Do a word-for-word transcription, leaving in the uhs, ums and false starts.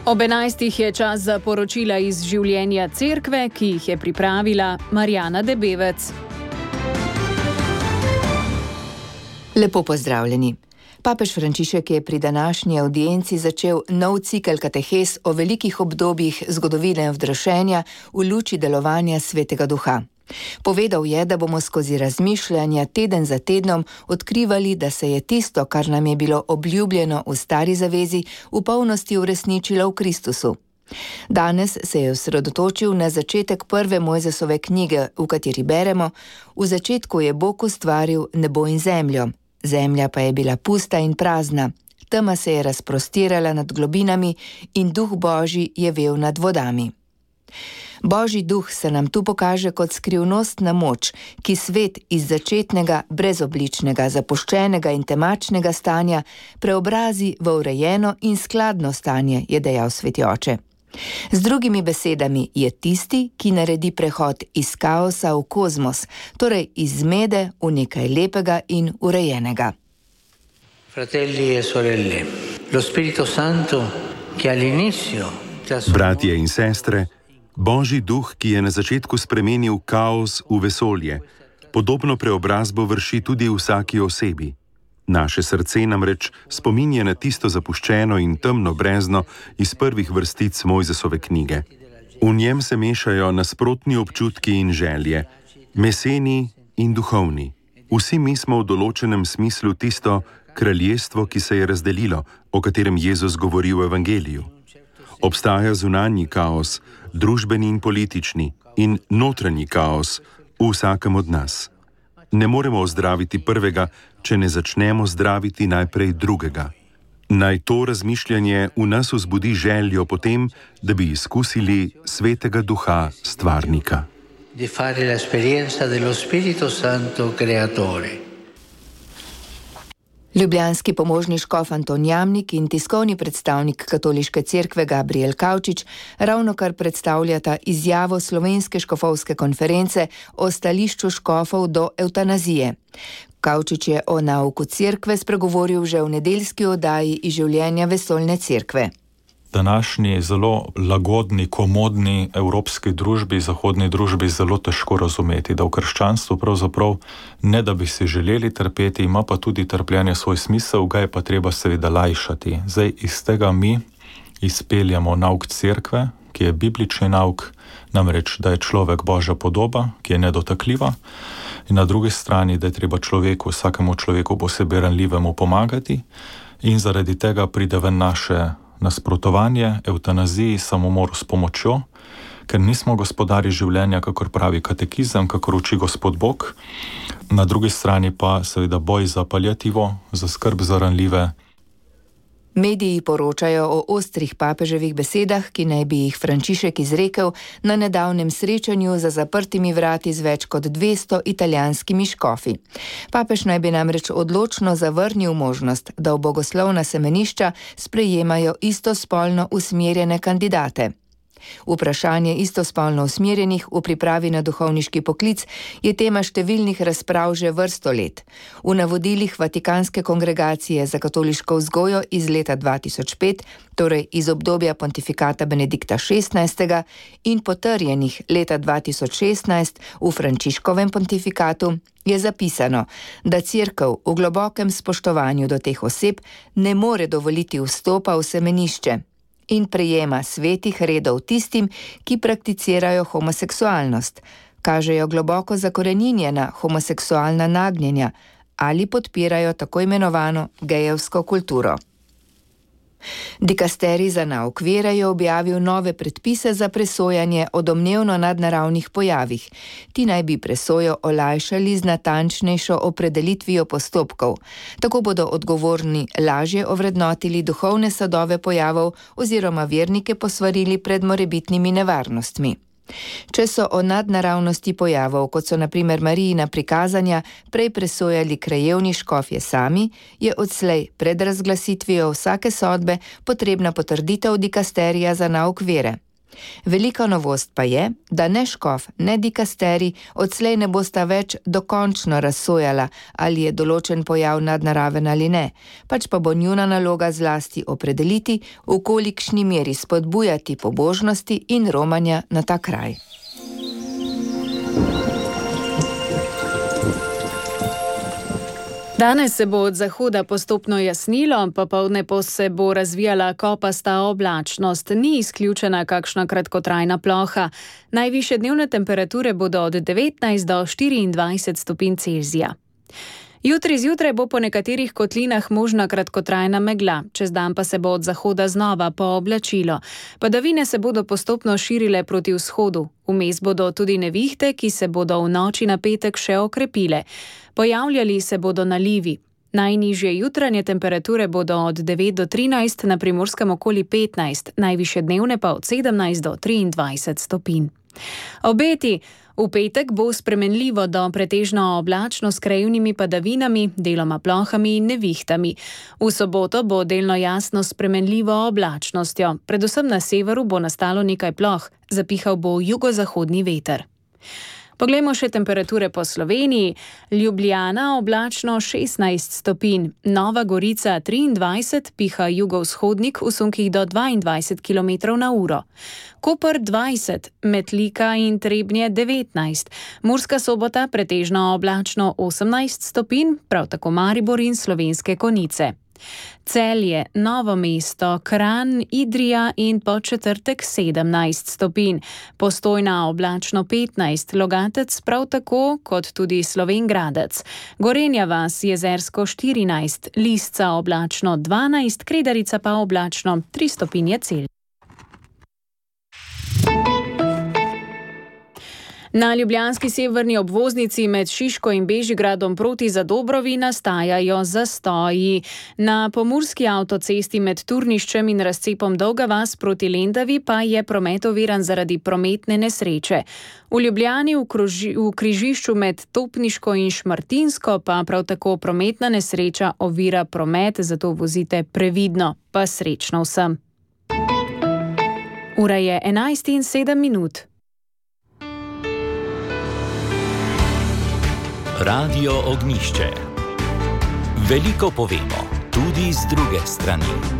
Ob enajstih je čas za poročila iz življenja cerkve, ki jih je pripravila Marjana Debevec. Lepo pozdravljeni. Papež Frančišek je pri današnji avdienci začel nov cikel katehes o velikih obdobjih zgodovine vdrašenja v luči delovanja Svetega Duha. Povedal je, da bomo skozi razmišljanja teden za tednom odkrivali, da se je tisto, kar nam je bilo obljubljeno v stari zavezi, v polnosti uresničilo v Kristusu. Danes se je osredotočil na začetek prve Mojzesove knjige, v kateri beremo: v začetku je Bog ustvaril nebo in zemljo, zemlja pa je bila pusta in prazna, tema se je razprostirala nad globinami in duh Božji je vel nad vodami. Božji duh se nam tu pokaže kot skrivnostna moč, ki svet iz začetnega, brezobličnega, zapuščenega in temačnega stanja preobrazi v urejeno in skladno stanje, je dejal Sveti oče. Z drugimi besedami je tisti, ki naredi prehod iz kaosa v kozmos, torej iz zmede v nekaj lepega in urejenega. Fratelli e sorelle, lo Spirito Santo, ki all'inizio Bratje in sestre, Božji duh, ki je na začetku spremenil kaos v vesolje, podobno preobrazbo vrši tudi v vsaki osebi. Naše srce namreč spominja na tisto zapuščeno in temno brezno iz prvih vrstic Mojzesove knjige. V njem se mešajo nasprotni občutki in želje, meseni in duhovni. Vsi mi smo v določenem smislu tisto kraljestvo, ki se je razdelilo, o katerem Jezus govori v Evangeliju. Obstaja zunanji kaos, družbeni in politični, in notranji kaos v vsakem od nas. Ne moremo ozdraviti prvega, če ne začnemo zdraviti najprej drugega. Naj to razmišljanje v nas vzbudi željo potem, da bi izkusili Svetega Duha Stvarnika. Di fare l'esperienza dello Spirito Santo Creatore. Ljubljanski pomožni škof Anton Jamnik in tiskovni predstavnik Katoliške cerkve Gabriel Kavčič ravnokar predstavljata izjavo Slovenske škofovske konference o stališču škofov do evtanazije. Kavčič je o nauku cerkve spregovoril že v nedeljski oddaji iz življenja vesoljne cerkve. Današnji zelo lagodni, komodni evropski družbi, zahodni družbi zelo težko razumeti, da v krščanstvu pravzaprav ne da bi si želeli trpeti, ima pa tudi trpljenje svoj smisel, ga je pa treba seveda lajšati. Zdaj iz tega mi izpeljamo nauk cerkve, ki je biblični nauk, namreč, da je človek Božja podoba, ki je nedotakljiva, in na drugi strani, da je treba človeku, vsakemu človeku posebej ranljivemu pomagati, in zaradi tega pride ven naše nasprotovanje evtanaziji, samomoru s pomočjo, ker nismo gospodarji življenja, kakor pravi katekizem, kakor uči Gospod Bog. Na drugi strani pa seveda boj za paliativo, za skrb za ranljive. Mediji poročajo o ostrih papeževih besedah, ki naj bi jih Frančišek izrekel na nedavnem srečanju za zaprtimi vrati z več kot dvesto italijanskimi škofi. Papež naj bi namreč odločno zavrnil možnost, da v bogoslovna semenišča sprejemajo istospolno usmerjene kandidate. Vprašanje istospolno usmerjenih v pripravi na duhovniški poklic je tema številnih razprav že vrsto let. V navodilih Vatikanske kongregacije za katoliško vzgojo iz leta dva tisoč pet, torej iz obdobja pontifikata Benedikta šestnajstega, in potrjenih leta dva tisoč šestnajst v Frančiškovem pontifikatu, je zapisano, da cerkev v globokem spoštovanju do teh oseb ne more dovoliti vstopa v semenišče in prejema svetih redov tistim, ki prakticirajo homoseksualnost, kažejo globoko zakoreninjena homoseksualna nagnjenja ali podpirajo tako imenovano gejevsko kulturo. Dikasterij za nauk vere je objavil nove predpise za presojanje o domnevno nadnaravnih pojavih. Ti naj bi presojo olajšali z natančnejšo opredelitvijo postopkov. Tako bodo odgovorni lažje ovrednotili duhovne sadove pojavov oziroma vernike posvarili pred morebitnimi nevarnostmi. Če so o nadnaravnosti pojavov, kot so na primer Marijina prikazanja, prej presojali krajevni škofje sami, je odslej pred razglasitvijo vsake sodbe potrebna potrditev dikasterija za nauk vere. Velika novost pa je, da ne škof, ne dikasteri odslej ne bosta več dokončno razsojala, ali je določen pojav nadnaraven ali ne, pač pa bo njuna naloga zlasti opredeliti, v kolikšni meri spodbujati pobožnosti in romanja na ta kraj. Danes se bo od zahoda postopno jasnilo, popoldne pa se bo razvijala kopasta oblačnost. Ni izključena kakšna kratkotrajna ploha. Najvišje dnevne temperature bodo od devetnajst do štiriindvajset stopinj Celzija. Jutri zjutraj bo po nekaterih kotlinah možna kratkotrajna megla, čez dan pa se bo od zahoda znova pooblačilo. Padavine se bodo postopno širile proti vzhodu. Vmes bodo tudi nevihte, ki se bodo v noči na petek še okrepile. Pojavljali se bodo nalivi. Najnižje jutranje temperature bodo od devet do trinajst, na Primorskem okoli petnajst, najvišje dnevne pa od sedemnajst do triindvajset stopinj. Obeti. V petek bo spremenljivo do pretežno oblačno s krajevnimi padavinami, deloma plohami in nevihtami. V soboto bo delno jasno s spremenljivo oblačnostjo. Predvsem na severu bo nastalo nekaj ploh, zapihal bo jugozahodni veter. Poglejmo še temperature po Sloveniji. Ljubljana oblačno šestnajst stopinj, Nova Gorica triindvajset, piha jugovzhodnik v sunkih do dvaindvajset kilometrov na uro. Koper dvajset, Metlika in Trebnje devetnajst, Murska Sobota pretežno oblačno osemnajst stopinj, prav tako Maribor in Slovenske Konjice. Celje, Novo mesto, Kranj, Idrija in Podčetrtek sedemnajst stopinj, Postojna oblačno petnajst, Logatec prav tako kot tudi Slovenj Gradec, Gorenja vas, Jezersko štirinajst, Lisca oblačno dvanajst, Kredarica pa oblačno tri stopinje Celzija. Na ljubljanski severni obvoznici med Šiško in Bežigradom proti Zadobrovi nastajajo zastoji. Na pomurski avtocesti med Turniščem in razcepom Dolga vas proti Lendavi pa je promet oviran zaradi prometne nesreče. V Ljubljani v, kruži, v križišču med Topniško in Šmartinsko pa prav tako prometna nesreča ovira promet, zato vozite previdno, pa srečno vsem. Ura je enajst in sedem minut. Radio Ognjišče. Veliko povemo, tudi z druge strani.